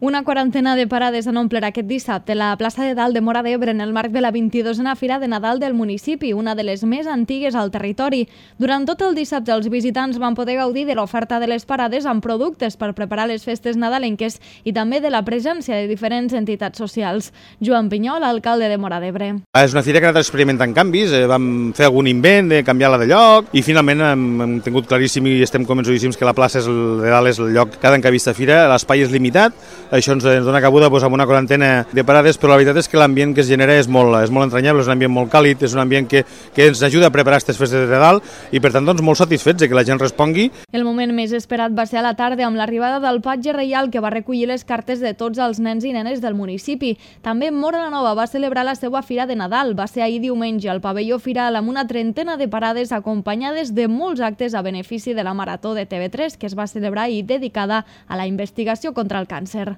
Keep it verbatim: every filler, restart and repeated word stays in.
Una quarantena de parades han omplert aquest dissabte la plaça de Dalt de Móra d'Ebre en el marc de la vint-i-dosena Fira de Nadal del municipi, una de les més antigues al territori. Durant tot el dissabte els visitants van poder gaudir de l'oferta de les parades amb productes per preparar les festes nadalenques i també de la presència de diferents entitats socials. Joan Pinyol, alcalde de Móra d'Ebre. És una fira que ha anat experimentant canvis, eh, vam fer algun invent de canviar-la de lloc i finalment hem, hem tingut claríssim i estem convençudíssims que la plaça és el, de Dalt és el lloc cada any que ha vist a fira, l'espai és limitat. Això ens dona cabuda doncs, amb una quarantena de parades, però la veritat és que l'ambient que es genera és molt, és molt entranyable, és un ambient molt càlid, és un ambient que, que ens ajuda a preparar aquestes festes de Nadal i per tant doncs, molt satisfets de que la gent respongui. El moment més esperat va ser a la tarda amb l'arribada del patge reial que va recollir les cartes de tots els nens i nenes del municipi. També Móra la Nova va celebrar la seva Fira de Nadal. Va ser ahir diumenge al pavelló Firal amb una trentena de parades acompanyades de molts actes a benefici de la Marató de T V tres que es va celebrar ahir dedicada a la investigació contra el càncer.